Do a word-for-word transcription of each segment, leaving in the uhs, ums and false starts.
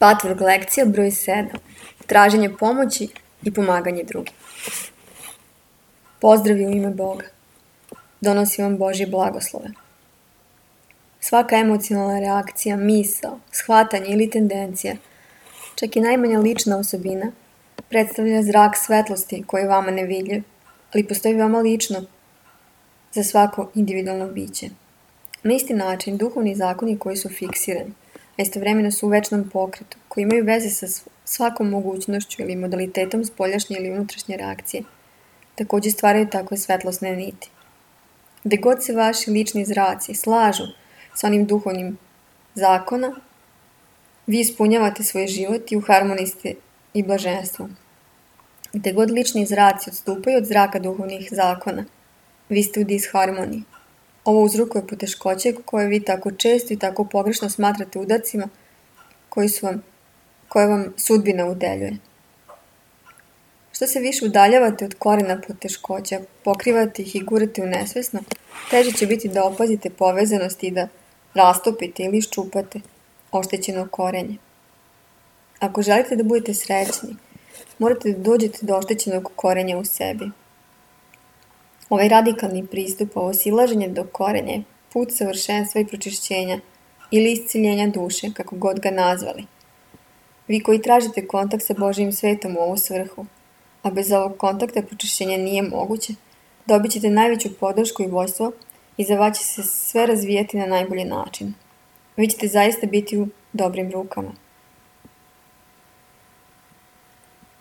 Patvork lekcija broj sedam. Traženje pomoći i pomaganje drugim. Pozdravi u ime Boga. Donosi vam Božje blagoslove. Svaka emocionalna reakcija, misao, shvatanje ili tendencija, čak i najmanja lična osobina, predstavlja zrak svetlosti koji je vama nevidljiv, ali postoji veoma lično za svako individualno biće. Na isti način, duhovni zakoni koji su fiksirani, a istovremeno su u večnom pokretu, koji imaju veze sa svakom mogućnošću ili modalitetom spoljašnje ili unutrašnje reakcije, također stvaraju takve svetlosne niti. Gde god se vaši lični zraci slažu sa onim duhovnim zakona, vi ispunjavate svoj život i u harmoniji ste i blaženstvu. Gde god lični zraci odstupaju od zraka duhovnih zakona, vi ste u disharmoniji. Ovo uzrokuje poteškoće koje vi tako često i tako pogrešno smatrate udarcima koji su vam, koje vam sudbina udeljuje. Što se više udaljavate od korena poteškoća, pokrivate ih i gurate u nesvesno, teže će biti da opazite povezanost i da rastopite ili iščupate oštećeno korenje. Ako želite da budete srećni, morate da dođete do oštećenog korenja u sebi. Ovaj radikalni pristup, ovo silaženje do korenja je put savršenstva i pročišćenja ili isciljenja duše, kako god ga nazvali. Vi koji tražite kontakt sa Božjim svetom u ovu svrhu, a bez ovog kontakta pročišćenja nije moguće, dobit ćete najveću podršku i vojstvo i za vas će se sve razvijati na najbolji način. Vi ćete zaista biti u dobrim rukama.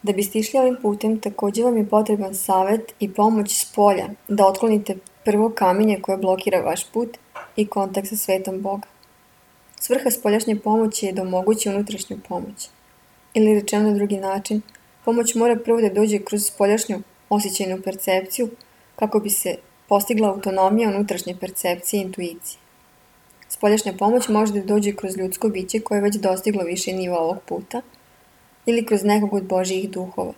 Da biste išli ovim putem, također vam je potreban savjet i pomoć s polja da otklonite prvo kamenje koje blokira vaš put i kontakt sa svetom Boga. Svrha spoljašnje pomoći je da omogući unutrašnju pomoć. Ili rečeno na drugi način, pomoć mora prvo da dođe kroz spoljašnju osjećajnu percepciju kako bi se postigla autonomija unutrašnje percepcije i intuicije. Spoljašnja pomoć može da dođe kroz ljudsko biće koje je već dostiglo više nivo ovog puta ili kroz nekog od Božjih duhova.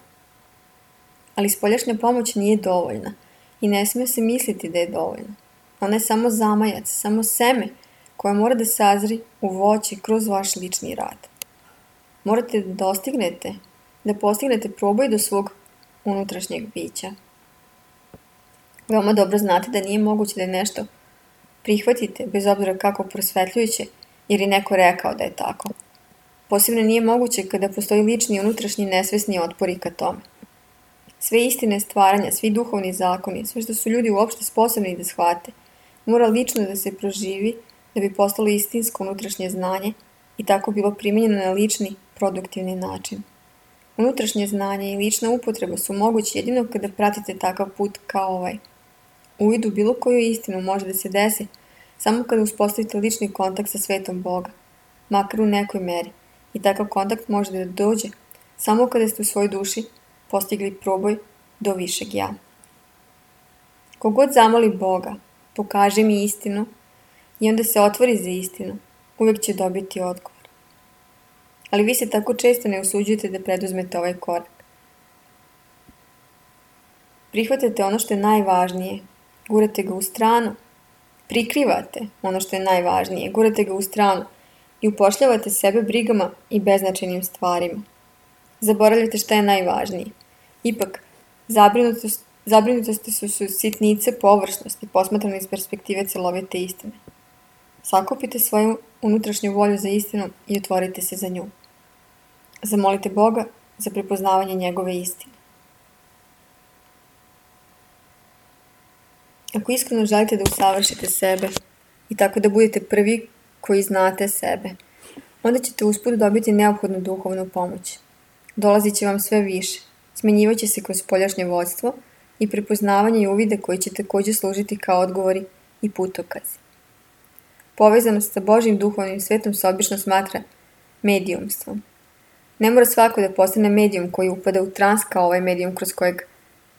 Ali spoljašnja pomoć nije dovoljna i ne smije se misliti da je dovoljna. Ona je samo zamajac, samo seme koje mora da sazri u voće kroz vaš lični rad. Morate da dostignete, da postignete proboj do svog unutrašnjeg bića. Veoma dobro znate da nije moguće da nešto prihvatite, bez obzira kako prosvetljujuće, jer je neko rekao da je tako. Posebno nije moguće kada postoji lični i unutrašnji nesvesni otpori ka tome. Sve istine stvaranja, svi duhovni zakoni, sve što su ljudi uopšte sposobni da shvate, mora lično da se proživi da bi postalo istinsko unutrašnje znanje i tako bilo primijenjeno na lični, produktivni način. Unutrašnje znanje i lična upotreba su mogući jedino kada pratite takav put kao ovaj. Uvid u bilo koju istinu može da se desi samo kada uspostavite lični kontakt sa svetom Boga, makar u nekoj meri. I takav kontakt može da dođe samo kada ste u svojoj duši postigli proboj do višeg ja. Kogod zamoli Boga, pokaže mi istinu i onda se otvori za istinu, uvijek će dobiti odgovor. Ali vi se tako često ne usuđujete da preduzmete ovaj korak. Prihvatate ono što je najvažnije, gurate ga u stranu, prikrivate ono što je najvažnije, gurate ga u stranu i upošljavate sebe brigama i beznačajnim stvarima. Zaboravljate šta je najvažnije. Ipak, zabrinutost, zabrinutosti su, su sitnice površnosti posmatrane iz perspektive celovite istine. Sakupite svoju unutrašnju volju za istinu i otvorite se za nju. Zamolite Boga za prepoznavanje njegove istine. Ako iskreno želite da usavršite sebe i tako da budete prvi koji znate sebe, onda ćete usput dobiti neophodnu duhovnu pomoć. Dolazit će vam sve više, smenjivat će se kroz spoljašnje vodstvo i prepoznavanje i uvide koji će također služiti kao odgovori i putokazi. Povezanost sa Božjim duhovnim svetom se obično smatra medijumstvom. Ne mora svako da postane medijum koji upada u trans kao ovaj medijum kroz kojeg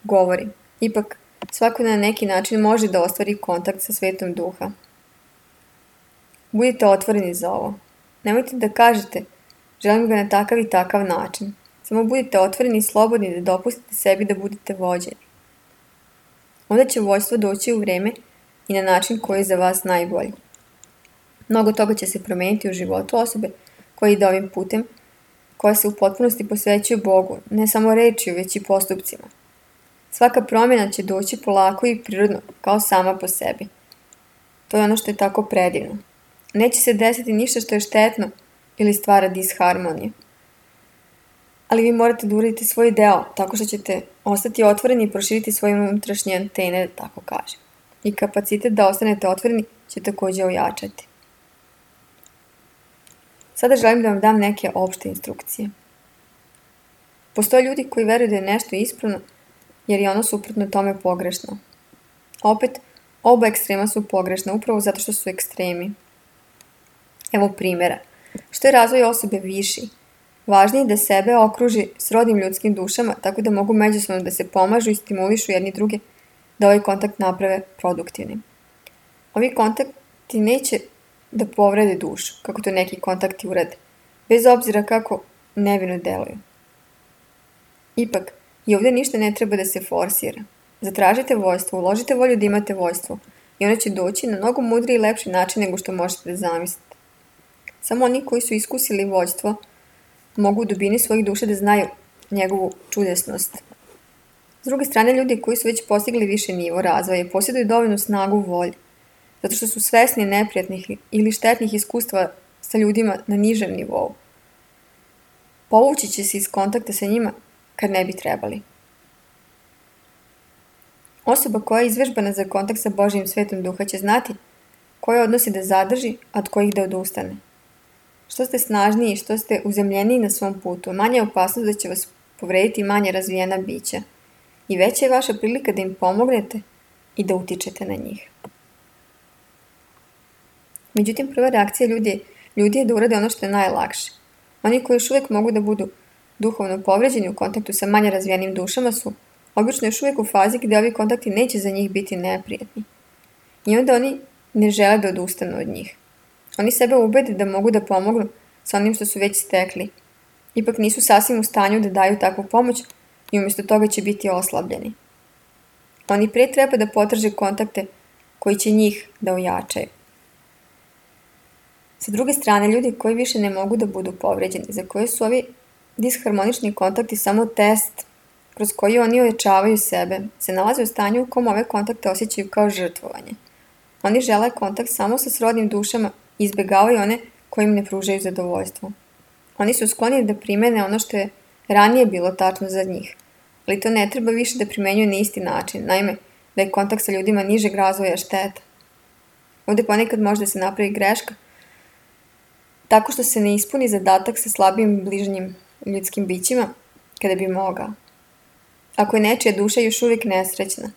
govori. Ipak, svako na neki način može da ostvari kontakt sa svetom duha. Budite otvoreni za ovo. Nemojte da kažete, želim ga na takav i takav način. Samo budite otvoreni i slobodni da dopustite sebi da budete vođeni. Onda će vođstvo doći u vreme i na način koji je za vas najbolji. Mnogo toga će se promijeniti u životu osobe koja ide ovim putem koja se u potpunosti posvećuju Bogu, ne samo rečju, već i postupcima. Svaka promjena će doći polako i prirodno, kao sama po sebi. To je ono što je tako predivno. Neće se desiti ništa što je štetno ili stvara disharmoniju. Ali vi morate da uradite svoj deo, tako što ćete ostati otvoreni i proširiti svoje unutrašnje antene, da tako kažem. I kapacitet da ostanete otvoreni će također ojačati. Sada želim da vam dam neke opšte instrukcije. Postoje ljudi koji veruju da je nešto ispravno, jer je ono suprotno tome pogrešno. Opet, oba ekstrema su pogrešna, upravo zato što su ekstremi. Evo primjera. Što je razvoj osobe viši? Važnije je da sebe okruži srodnim ljudskim dušama, tako da mogu međusobno da se pomažu i stimulišu jedni druge, da ovaj kontakt naprave produktivnim. Ovi kontakti neće da povrede dušu, kako to neki kontakti urade, bez obzira kako nevino deluju. Ipak, i ovdje ništa ne treba da se forsira. Zatražite voljstvo, uložite volju da imate voljstvo i ono će doći na mnogo mudriji i lepši način nego što možete da zamislite. Samo oni koji su iskusili voljstvo mogu u dubini svojih duša da znaju njegovu čudesnost. S druge strane, ljudi koji su već postigli više nivo razvoja posjeduju dovoljnu snagu volje, zato što su svesni neprijatnih ili štetnih iskustva sa ljudima na nižem nivou. Povući će se iz kontakta sa njima kad ne bi trebali. Osoba koja je izvežbana za kontakt sa Božjim svetom duha će znati koje odnosi da zadrži, a od kojih da odustane. Što ste snažniji i što ste uzemljeniji na svom putu, manje je opasnost da će vas povrediti manje razvijena bića i veća je vaša prilika da im pomognete i da utičete na njih. Međutim, prva reakcija ljudi, ljudi je da urade ono što je najlakše. Oni koji još uvijek mogu da budu duhovno povređeni u kontaktu sa manje razvijenim dušama su obično još uvijek u fazi gdje ovi kontakti neće za njih biti neprijatni. I onda oni ne žele da odustanu od njih. Oni sebe ubede da mogu da pomognu sa onim što su već stekli. Ipak nisu sasvim u stanju da daju takvu pomoć i umjesto toga će biti oslabljeni. Oni prije treba da potraže kontakte koji će njih da ojačaju. Sa druge strane, ljudi koji više ne mogu da budu povređeni, za koje su ovi disharmonični kontakti samo test kroz koji oni ojačavaju sebe, se nalaze u stanju u kom ove kontakte osjećaju kao žrtvovanje. Oni žele kontakt samo sa srodnim dušama i izbjegavaju one koji im ne pružaju zadovoljstvo. Oni su skloni da primene ono što je ranije bilo tačno za njih, ali to ne treba više da primenjuju na isti način, naime, da je kontakt sa ljudima nižeg razvoja šteta. Ovdje ponekad može da se napravi greška, tako što se ne ispuni zadatak sa slabijim bližnjim ljudskim bićima, kada bi mogao. Ako je nečija duša još uvijek nesrećna,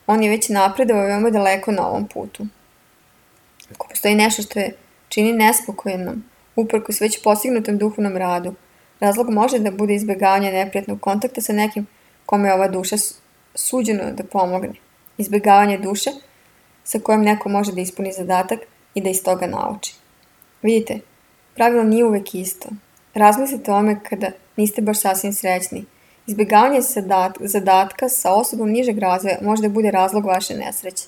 on je već napredovao veoma daleko na ovom putu. Ako postoji nešto što je čini nespokojnom, uprkos već postignutom duhovnom radu, razlog može da bude izbjegavanje neprijatnog kontakta sa nekim kome je ova duša suđeno da pomogne. Izbjegavanje duše sa kojom neko može da ispuni zadatak i da iz toga nauči. Vidite, pravilo nije uvijek isto. Razmislite o ome kada niste baš sasvim srećni. Izbjegavanje zadatka sa osobom nižeg razvoja može da bude razlog vaše nesreće.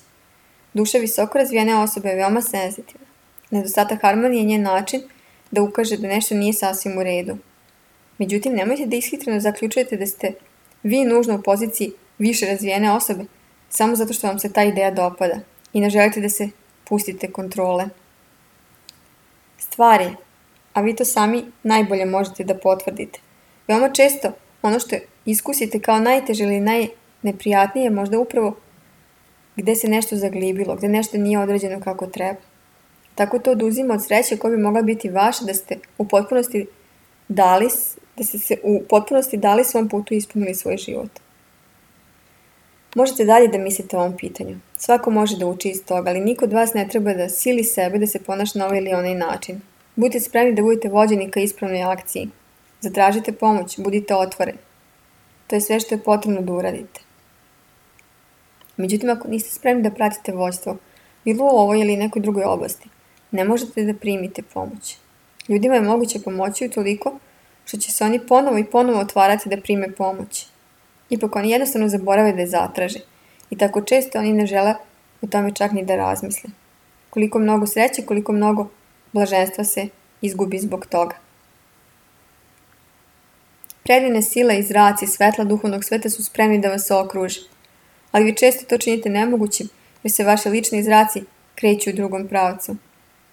Duša visoko razvijene osobe je veoma senzitivna. Nedostatak harmonije je njen način da ukaže da nešto nije sasvim u redu. Međutim, nemojte da ishitreno zaključujete da ste vi nužno u poziciji više razvijene osobe samo zato što vam se ta ideja dopada i ne želite da se pustite kontrole. Stvari, a vi to sami najbolje možete da potvrdite. Veoma često ono što iskusite kao najteže ili najneprijatnije je možda upravo gdje se nešto zaglibilo, gdje nešto nije određeno kako treba. Tako to oduzima od sreće koja bi mogla biti vaša da ste u potpunosti dali, da ste se u potpunosti dali svom putu i ispunili svoj život. Možete dalje da mislite o ovom pitanju. Svako može da uči iz toga, ali niko od vas ne treba da sili sebe da se ponaša na ovaj ili onaj način. Budite spremni da budete vođeni ka ispravnoj akciji. Zatražite pomoć, budite otvoreni. To je sve što je potrebno da uradite. Međutim, ako niste spremni da pratite vođstvo, bilo u ovoj ili nekoj drugoj oblasti, ne možete da primite pomoć. Ljudima je moguće pomoći utoliko što će se oni ponovo i ponovo otvarati da prime pomoć. Ipak oni jednostavno zaborave da je zatraže i tako često oni ne žele o tome čak ni da razmisle. Koliko mnogo sreće, koliko mnogo blaženstva se izgubi zbog toga. Predivne sile i zraci svetla duhovnog sveta su spremni da vas okruže, ali vi često to činite nemogućim jer se vaši lični zraci kreću u drugom pravcu.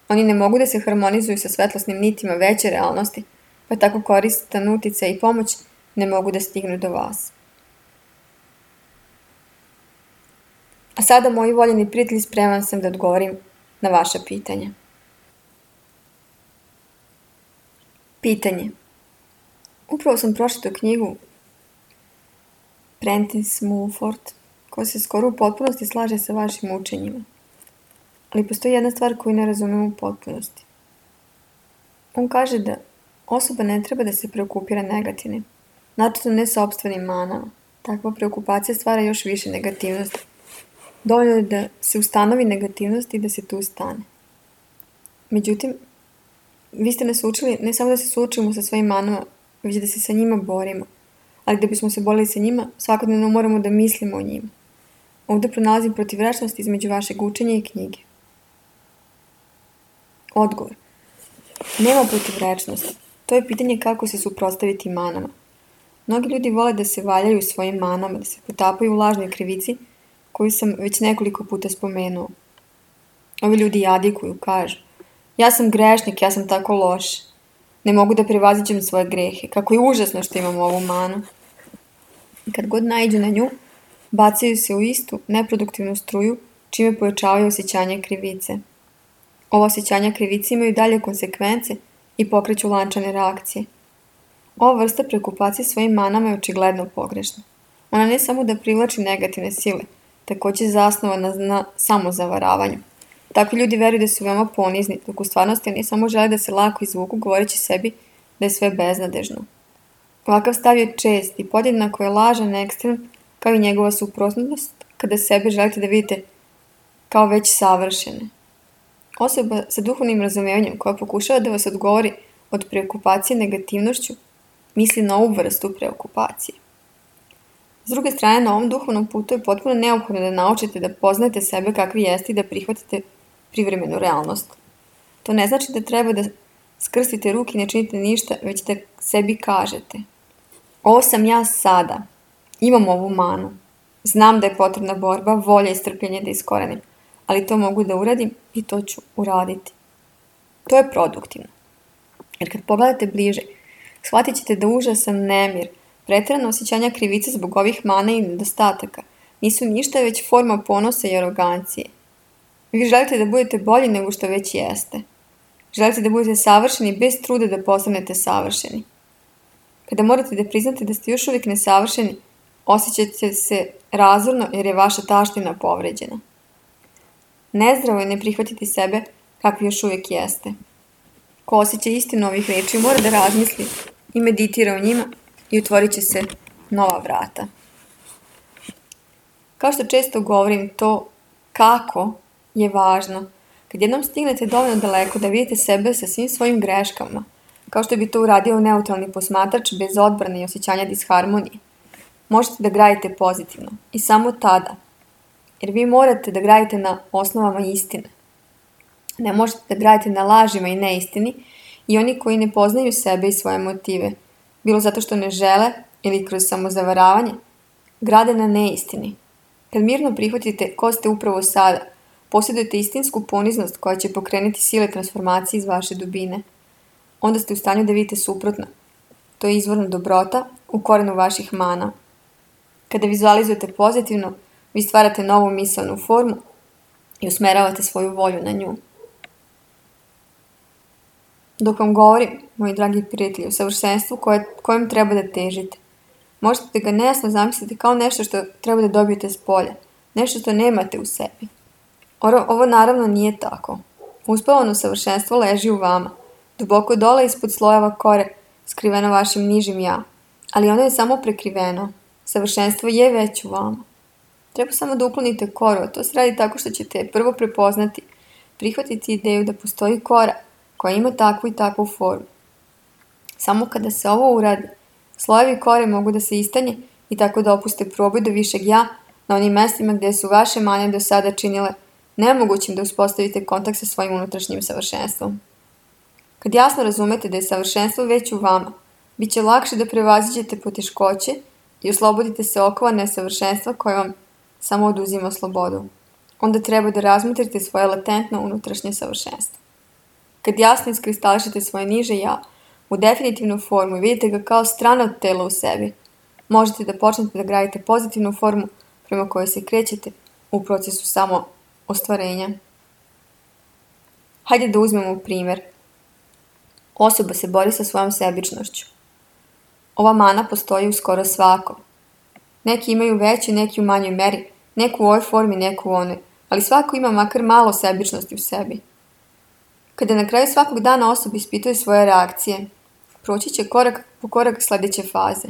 Oni ne mogu da se harmonizuju sa svetlosnim nitima veće realnosti, pa tako koristan uticaj i pomoć ne mogu da stignu do vas. A sada, moji voljeni prijatelji, spreman sam da odgovorim na vaša pitanja. Pitanje. Upravo sam pročitao knjigu Prentice Mulford, koja se skoro u potpunosti slaže sa vašim učenjima. Ali postoji jedna stvar koju ne razumem u potpunosti. On kaže da osoba ne treba da se preokupira negativnim, načisto ne sopstvenim manama. Takva preokupacija stvara još više negativnosti. Dovoljno je da se ustanovi negativnost i da se tu stane. Međutim, vi ste nas učili ne samo da se suočimo sa svojim manama, već da se sa njima borimo. Ali da bismo se borili sa njima, svakodnevno moramo da mislimo o njima. Ovdje pronalazim protivrečnost između vašeg učenja i knjige. Odgovor. Nema protivrečnosti. To je pitanje kako se suprotstaviti manama. Mnogi ljudi vole da se valjaju u svojim manama, da se potapaju u lažnoj krivici, koju sam već nekoliko puta spomenuo. Ovi ljudi jadikuju, kažu: ja sam grešnik, ja sam tako loš. Ne mogu da prevaziđem svoje grehe. Kako je užasno što imam ovu manu. I kad god naiđu na nju, bacaju se u istu, neproduktivnu struju, čime pojačavaju osjećanje krivice. Ova osjećanja krivice imaju dalje konsekvence i pokreću lančane reakcije. Ova vrsta preokupacije svojim manama je očigledno pogrešna. Ona ne samo da privlači negativne sile, također je zasnovana na samozavaravanju. Takvi ljudi veruju da su veoma ponizni, dok u stvarnosti oni samo žele da se lako izvuku, govoreći sebi da je sve beznadežno. Ovakav stav je čest i podjednako je lažan ekstrem, kao i njegova suprotnost, kada sebe želite da vidite kao već savršene. Osoba sa duhovnim razumijevanjem koja pokušava da vas odgovori od preokupacije negativnošću, misli na ovu vrstu preokupacije. S druge strane, na ovom duhovnom putu je potpuno neophodno da naučite da poznate sebe kakvi jeste i da prihvatite privremenu realnost. To ne znači da treba da skrstite ruke i ne činite ništa, već da sebi kažete: ovo sam ja sada, imam ovu manu, znam da je potrebna borba, volja i strpljenje da iskorenim, ali to mogu da uradim i to ću uraditi. To je produktivno. Jer kad pogledate bliže, shvatit ćete da užasan nemir, pretjerano osjećanja krivice zbog ovih mana i nedostataka nisu ništa već forma ponosa i arogancije. Vi želite da budete bolji nego što već jeste. Želite da budete savršeni bez truda da postanete savršeni. Kada morate da priznate da ste još uvijek nesavršeni, osjećate se razorno jer je vaša taština povređena. Nezdravo je ne prihvatiti sebe kakvi još uvijek jeste. Ko osjeća istinu ovih reči mora da razmisli i meditira o njima i otvorit će se nova vrata. Kao što često govorim, to kako je važno. Kad jednom stignete dovoljno daleko da vidite sebe sa svim svojim greškama, kao što bi to uradio neutralni posmatrač bez odbrane i osjećanja disharmonije, možete da gradite pozitivno i samo tada, jer vi morate da gradite na osnovama istine. Ne možete da gradite na lažima i neistini i oni koji ne poznaju sebe i svoje motive, bilo zato što ne žele ili kroz samozavaravanje, grade na neistini. Kad mirno prihvatite ko ste upravo sada, posjedujete istinsku poniznost koja će pokrenuti sile transformacije iz vaše dubine. Onda ste u stanju da vidite suprotno. To je izvorna dobrota u korenu vaših mana. Kada vizualizujete pozitivno, vi stvarate novu misaonu formu i usmeravate svoju volju na nju. Dok vam govorim, moji dragi prijatelji, o savršenstvu koje, kojem treba da težite, možete da ga nejasno zamisliti kao nešto što treba da dobijete s polja, nešto što nemate u sebi. Ovo, ovo naravno nije tako. Uspavano savršenstvo leži u vama, duboko dole ispod slojeva kore, skriveno vašim nižim ja, ali ono je samo prekriveno. Savršenstvo je već u vama. Treba samo da uklonite koru, a to se radi tako što ćete prvo prepoznati, prihvatiti ideju da postoji kora koja ima takvu i takvu formu. Samo kada se ovo uradi, slojevi kore mogu da se istanje i tako da opuste proboj do višeg ja na onim mestima gdje su vaše mane do sada činile nemogućim da uspostavite kontakt sa svojim unutrašnjim savršenstvom. Kad jasno razumete da je savršenstvo već u vama, Biće lakše da prevaziđete poteškoće i oslobodite se okova nesavršenstva koje vam samo oduzima slobodu. Onda treba da razmotrite svoje latentno unutrašnje savršenstvo. Kad jasno iskristališete svoje niže ja u definitivnu formu i vidite ga kao strano telo u sebi, možete da počnete da gradite pozitivnu formu prema kojoj se krećete u procesu samo ostvarenja. Hajde da uzmemo primjer. Osoba se bori sa svojom sebičnošću. Ova mana postoji u skoro svakom. Neki imaju veću, neki u manjoj meri, neku u ovoj formi, neku u onoj, ali svako ima makar malo sebičnosti u sebi. Kada na kraju svakog dana osoba ispituje svoje reakcije, proći će korak po korak sljedeće faze.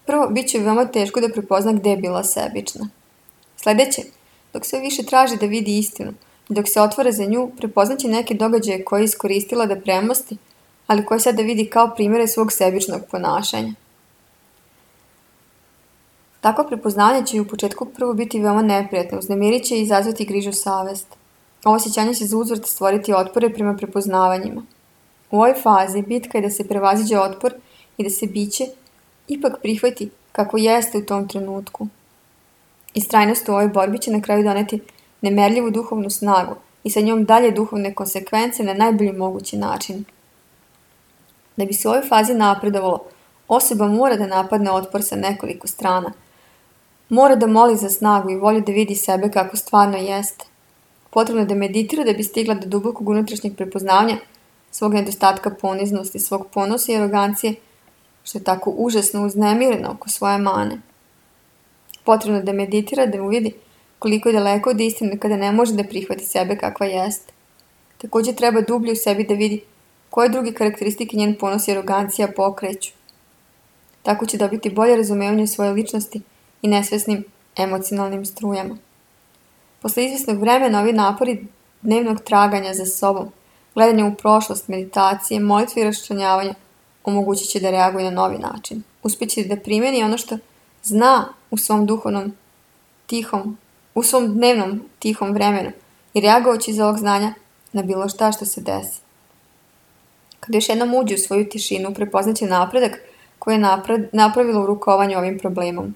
Prvo, bit će veoma teško da prepozna gde je bila sebična. Sljedeće, dok sve više traži da vidi istinu i dok se otvara za nju, prepoznaće neke događaje koje je iskoristila da premosti, ali koje sada vidi kao primjere svog sebičnog ponašanja. Takvo prepoznanje će u početku prvo biti veoma neprijatno, uznemirit će i izazvati grižu savest. Ovo osjećanje će za uzvrat stvoriti otpore prema prepoznavanjima. U ovoj fazi bitka je da se prevaziđe otpor i da se biće ipak prihvati kako jeste u tom trenutku. Istrajnost u ovoj borbi će na kraju doneti nemerljivu duhovnu snagu i sa njom dalje duhovne konsekvence na najbolji mogući način. Da bi se u ovoj fazi napredovalo, osoba mora da napadne otpor sa nekoliko strana. Mora da moli za snagu i volju da vidi sebe kako stvarno jeste. Potrebno je da meditira da bi stigla do dubokog unutrašnjeg prepoznavanja svog nedostatka poniznosti, svog ponosa i arogancije, što je tako užasno uznemireno oko svoje mane. Potrebno je da meditira da uvidi koliko je daleko od istine kada ne može da prihvati sebe kakva jeste. Također treba dublje u sebi da vidi koje druge karakteristike njen ponos i arogancija pokreću. Tako će dobiti bolje razumevanje svoje ličnosti i nesvesnim emocionalnim strujama. Posle izvjesnog vremena ovi napori dnevnog traganja za sobom, gledanja u prošlost, meditacije, molitve i raščlanjavanja omogućit će da reaguje na novi način. Uspjeće da primjeni ono što zna u svom duhovnom tihom, u svom dnevnom tihom vremenu i reagovaći iz ovog znanja na bilo šta što se desi. Kada još jednom uđe u svoju tišinu, prepoznaće napredak koji je napravila u rukovanju ovim problemom.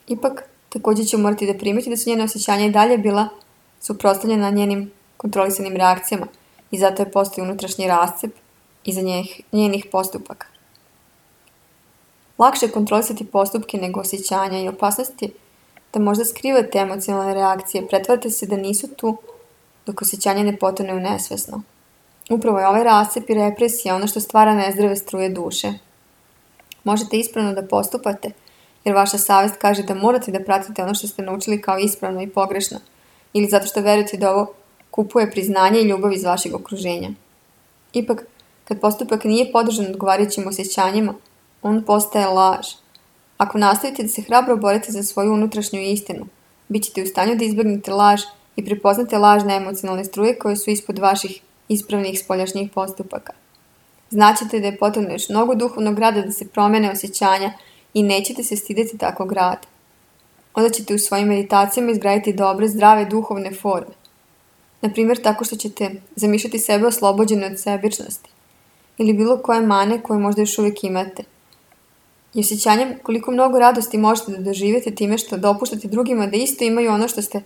Ipak, također će morati da primeti da su njene osjećanja i dalje bila suprotstavljena njenim kontrolisanim reakcijama i zato je postoji unutrašnji rascep iza njenih, njenih postupaka. Lakše je kontrolisati postupke nego osjećanja i opasnost je da možda skrivate emocionalne reakcije, pretvarate se da nisu tu dok osjećanje ne potone u nesvesno. Upravo je ovaj rascep i represija ono što stvara nezdrave struje duše. Možete ispravno da postupate, jer vaša savjest kaže da morate da pratite ono što ste naučili kao ispravno i pogrešno, ili zato što verujete da ovo kupuje priznanje i ljubav iz vašeg okruženja. Ipak, kad postupak nije podržan odgovarajućim osjećanjima, on postaje laž. Ako nastavite da se hrabro borite za svoju unutrašnju istinu, bit ćete u stanju da izbjegnete laž i prepoznate lažne emocionalne struje koje su ispod vaših ispravnih spoljašnjih postupaka. Znaćete da je potrebno još mnogo duhovnog rada da se promene osjećanja i nećete se stideti takvog rada. Onda ćete u svojim meditacijama izgraditi dobre, zdrave duhovne forme. Naprimjer, tako što ćete zamišljati sebe oslobođene od sebičnosti ili bilo koje mane koje možda još uvijek imate. I osjećanjem koliko mnogo radosti možete da doživite time što dopuštate drugima da isto imaju ono što ste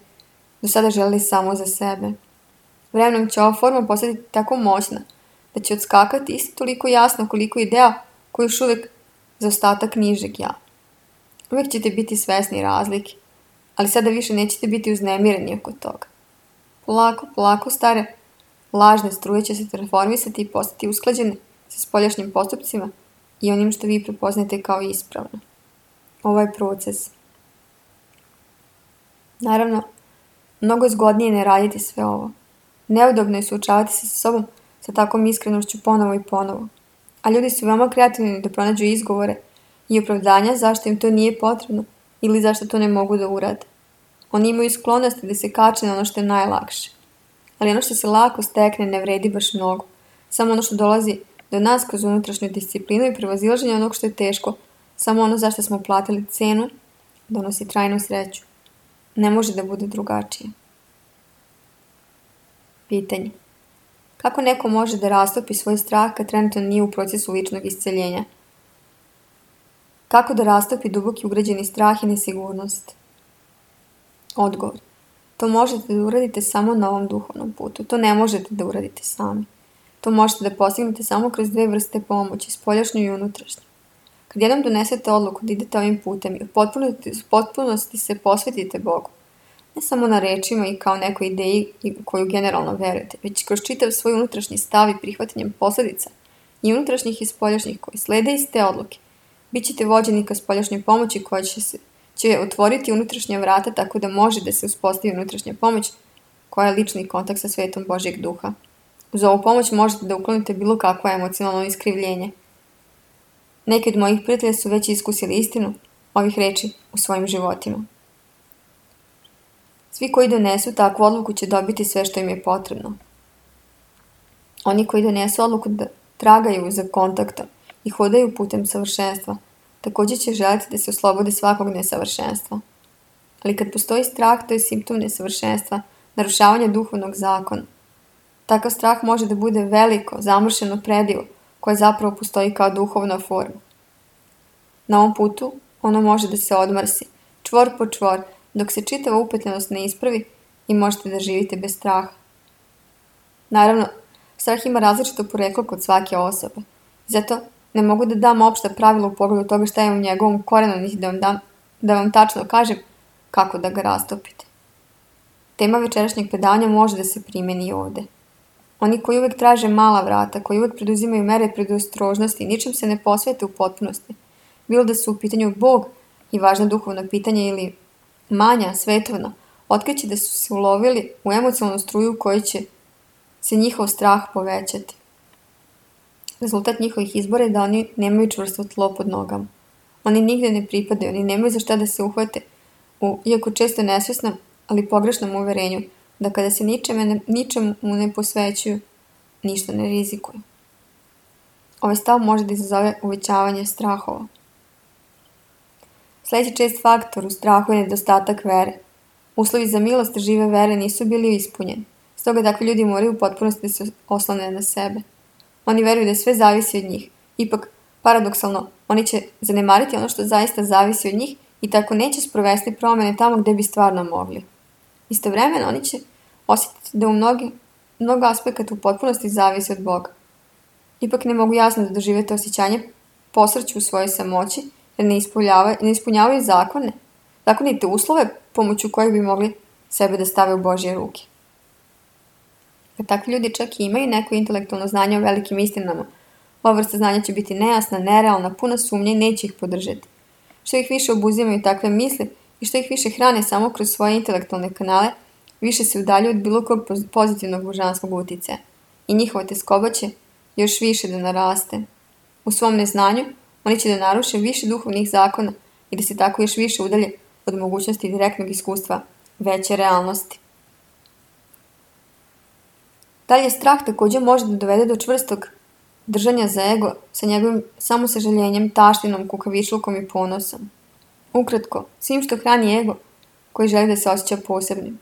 do sada želeli samo za sebe. Vremenom će ova forma postati tako moćna da će odskakati isto toliko jasno koliko ideja koji još uvijek za ostatak nižeg ja. Uvijek ćete biti svesni razlike, ali sada više nećete biti uznemireni oko toga. Polako, polako stare lažne struje će se transformisati i postati usklađene sa spoljašnjim postupcima i onim što vi prepoznajete kao ispravno. Ovo je proces. Naravno, mnogo je zgodnije ne raditi sve ovo. Neudobno je suočavati se sa sobom sa takvom iskrenošću ponovo i ponovo. A ljudi su veoma kreativni da pronađu izgovore i opravdanja zašto im to nije potrebno ili zašto to ne mogu da urade. Oni imaju sklonosti da se kače na ono što je najlakše. Ali ono što se lako stekne ne vredi baš mnogo. Samo ono što dolazi do nas kroz unutrašnju disciplinu i prevazilaženje onog što je teško, samo ono zašto smo platili cenu, donosi trajnu sreću. Ne može da bude drugačije. Pitanje. Kako neko može da rastopi svoj strah kad trenutno nije u procesu ličnog isceljenja? Kako da rastopi duboki ugrađeni strah i nesigurnost? Odgovor. To možete da uradite samo na ovom duhovnom putu. To ne možete da uradite sami. To možete da postignete samo kroz dve vrste pomoći, spoljašnju i unutrašnju. Kad jednom donesete odluku da idete ovim putem i u potpunosti se posvetite Bogu, ne samo na rečima i kao nekoj ideji u koju generalno verujete, već kroz čitav svoj unutrašnji stav i prihvatanjem posledica i unutrašnjih i spoljašnjih koji slede iz te odluke, bit ćete vođeni ka spoljašnjoj pomoći koja će, se, će otvoriti unutrašnja vrata tako da može da se uspostavi unutrašnja pomoć koja je lični kontakt sa svetom Božjeg duha. Uz ovu pomoć možete da uklonite bilo kakvo emocionalno iskrivljenje. Neki od mojih prijatelja su već iskusili istinu ovih reči u svojim životima. Svi koji donesu takvu odluku će dobiti sve što im je potrebno. Oni koji donesu odluku da tragaju za kontaktom i hodaju putem savršenstva, također će želiti da se oslobode svakog nesavršenstva. Ali kad postoji strah, to je simptom nesavršenstva, narušavanja duhovnog zakona. Takav strah može da bude veliko, zamršeno predivo, koje zapravo postoji kao duhovna forma. Na ovom putu ono može da se odmrsi, čvor po čvor, dok se čitava upetljenost ne ispravi i možete da živite bez straha. Naravno, strah ima različito poreklo kod svake osobe. Zato ne mogu da dam opšta pravila u pogledu toga šta je u njegovom korenu, niti da vam, dam, da vam tačno kažem kako da ga rastopite. Tema večerašnjeg predavanja može da se primeni i ovde. Oni koji uvek traže mala vrata, koji uvek preduzimaju mere predostrožnosti i ničem se ne posvete u potpunosti, bilo da su u pitanju Bog i važna duhovna pitanja ili manja, svetovna, otkriće da su se ulovili u emocionalnu struju u kojoj će se njihov strah povećati. Rezultat njihovih izbora je da oni nemaju čvrsto tlo pod nogama. Oni nigde ne pripadaju, oni nemaju za šta da se uhvate, u, iako često nesvesnom, ali pogrešnom uverenju, da kada se ničemu ne, ničemu ne posvećuju, ništa ne rizikuju. Ovaj stav može da izazove uvećavanje strahova. Sljedeći čest faktor u strahu je nedostatak vere. Uslovi za milost žive vere nisu bili ispunjeni. Stoga takvi ljudi moraju u potpunosti da se oslone na sebe. Oni veruju da sve zavisi od njih. Ipak, paradoksalno, oni će zanemariti ono što zaista zavisi od njih i tako neće sprovesti promjene tamo gdje bi stvarno mogli. Istovremeno, oni će osjetiti da u mnogi, mnogo aspekata u potpunosti zavisi od Boga. Ipak ne mogu jasno da dožive to osjećanje posrću u svojoj samoći, jer ne ispunjavaju, ne ispunjavaju zakone, zakonite uslove pomoću kojih bi mogli sebe da stave u Božje ruke. Kad takvi ljudi čak i imaju neko intelektualno znanje o velikim istinama, ova vrsta znanja će biti nejasna, nerealna, puna sumnje i neće ih podržati. Što ih više obuzimaju takve misli i što ih više hrane samo kroz svoje intelektualne kanale, više se udaljuju od bilo kog pozitivnog božanskog uticaja i njihova teskoba će još više da naraste. U svom neznanju oni će da naruše više duhovnih zakona i da se tako još više udalje od mogućnosti direktnog iskustva veće realnosti. Dalje, strah također može da dovede do čvrstog držanja za ego sa njegovim samosažaljenjem, taštinom, kukavičlukom i ponosom. Ukratko, svim što hrani ego koji želi da se osjeća posebnim.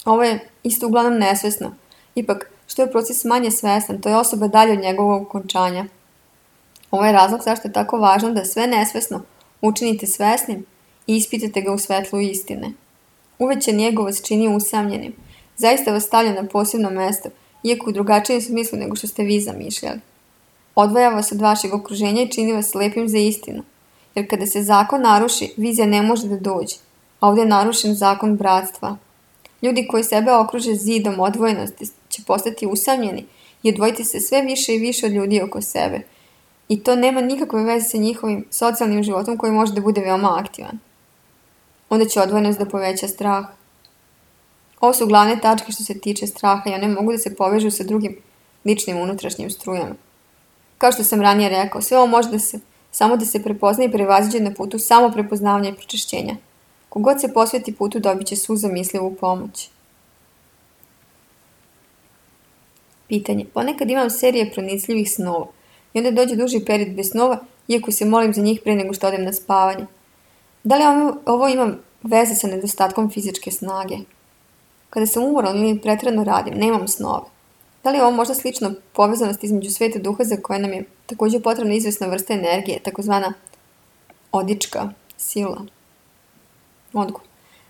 Ovo je isto uglavnom nesvesno. Ipak, što je proces manje svestan, to je osoba dalje od njegovog okončanja. Ovo je razlog zašto je tako važno da sve nesvesno učinite svesnim i ispitate ga u svetlu istine. Uvećan ego vas čini usamljenim. Zaista vas stavlja na posebno mesto, iako u drugačijem smislu nego što ste vi zamišljali. Odvaja vas od vašeg okruženja i čini vas lepim za istinu. Jer kada se zakon naruši, vizija ne može da dođe, a ovdje je narušen zakon bratstva. Ljudi koji sebe okruže zidom odvojenosti će postati usamljeni i odvojiti se sve više i više od ljudi oko sebe. I to nema nikakve veze sa njihovim socijalnim životom koji može da bude veoma aktivan. Onda će odvojenost da poveća strah. Ovo su glavne tačke što se tiče straha i one mogu da se povežu sa drugim ličnim unutrašnjim strujama. Kao što sam ranije rekao, sve ovo može da se, samo da se prepozna i prevaziđe na putu samo prepoznavanja i pročišćenja. Kogod se posveti putu dobit će svu zamislivu pomoć. Pitanje. Ponekad imam serije pronicljivih snova i onda dođe duži period bez snova, iako se molim za njih pre nego što odem na spavanje. Da li ovo ima veze sa nedostatkom fizičke snage? Kada sam umoran ili pretredno radim, nemam snove. Da li je ovo možda slično povezanost između sveta duha za koje nam je također potrebna izvesna vrsta energije, takozvana odička sila? Odgovor.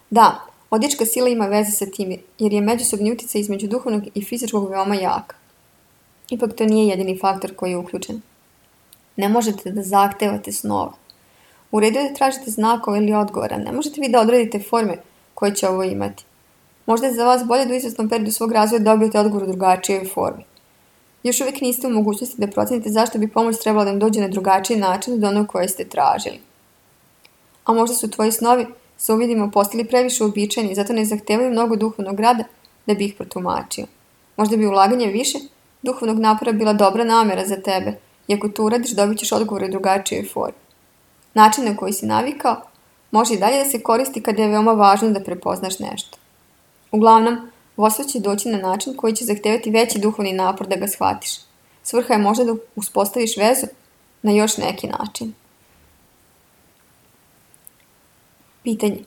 Da, odička sila ima veze sa tim, jer je međusobni utjecaj između duhovnog i fizičkog veoma jak. Ipak to nije jedini faktor koji je uključen. Ne možete da zahtevate snova. U redu je da tražite znakove ili odgovora, ne možete vi da odredite forme koje će ovo imati. Možda je za vas bolje da u izvesnom periodu svog razvoja dobijete odgovor u drugačijoj formi. Još uvijek niste u mogućnosti da procenite zašto bi pomoć trebala da vam dođe na drugačiji način od onog koje ste tražili. A možda su tvoji snovi sa uvidima postali previše uobičajeni i zato ne zahtevaju mnogo duhovnog rada da bi ih protumačio. Možda bi ulaganje više duhovnog napora bila dobra namjera za tebe i ako to uradiš dobit ćeš odgovor u drugačijoj formi. Način na koji si navikao može i dalje da se koristi kada je veoma važno da prepoznaš nešto. Uglavnom, vodstvo će doći na način koji će zahtevati veći duhovni napor da ga shvatiš. Svrha je možda da uspostaviš vezu na još neki način. Pitanje.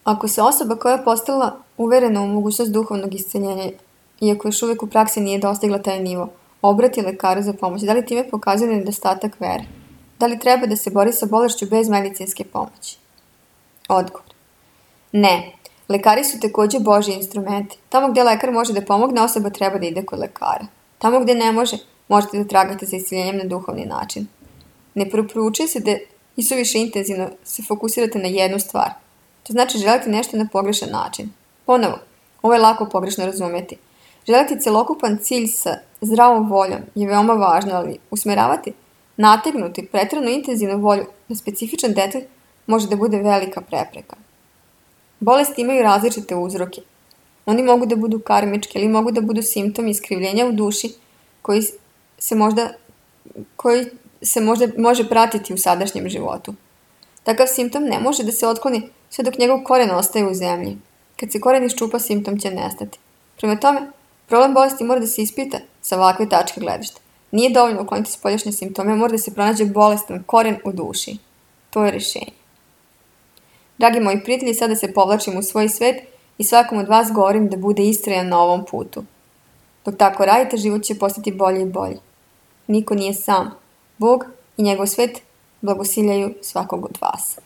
Ako se osoba koja je postala uverena u mogućnost duhovnog isceljenja, iako još uvijek u praksi nije dostigla taj nivo, obrati lekaru za pomoć, da li time pokazuje nedostatak vere? Da li treba da se bori sa bolešću bez medicinske pomoći? Odgovor. Ne. Lekari su također Božji instrumenti. Tamo gdje lekar može da pomogne, osoba treba da ide kod lekara. Tamo gdje ne može, možete da tragate za isceljenjem na duhovni način. Ne preporučuje se da isuviše intenzivno se fokusirate na jednu stvar. To znači želite nešto na pogrešan način. Ponovo, ovo je lako pogrešno razumjeti. Želiti celokupan cilj sa zdravom voljom je veoma važno, ali usmjeravati, nategnuti pretjerano intenzivnu volju na specifičan detalj može da bude velika prepreka. Bolesti imaju različite uzroke. Oni mogu da budu karmički ili mogu da budu simptomi iskrivljenja u duši koji se možda, koji se možda može pratiti u sadašnjem životu. Takav simptom ne može da se otkloni sve dok njegov koren ostaje u zemlji. Kad se koren iščupa, simptom će nestati. Prema tome, problem bolesti mora da se ispita sa ovakve tačke gledišta. Nije dovoljno ukloniti spoljašnje simptome, mora da se pronađe bolestan koren u duši. To je rješenje. Dragi moji prijatelji, sada se povlačim u svoj svet i svakom od vas govorim da bude istrajan na ovom putu. Dok tako radite, život će postati bolji i bolji. Niko nije sam. Bog i njegov svet blagosiljaju svakog od vas.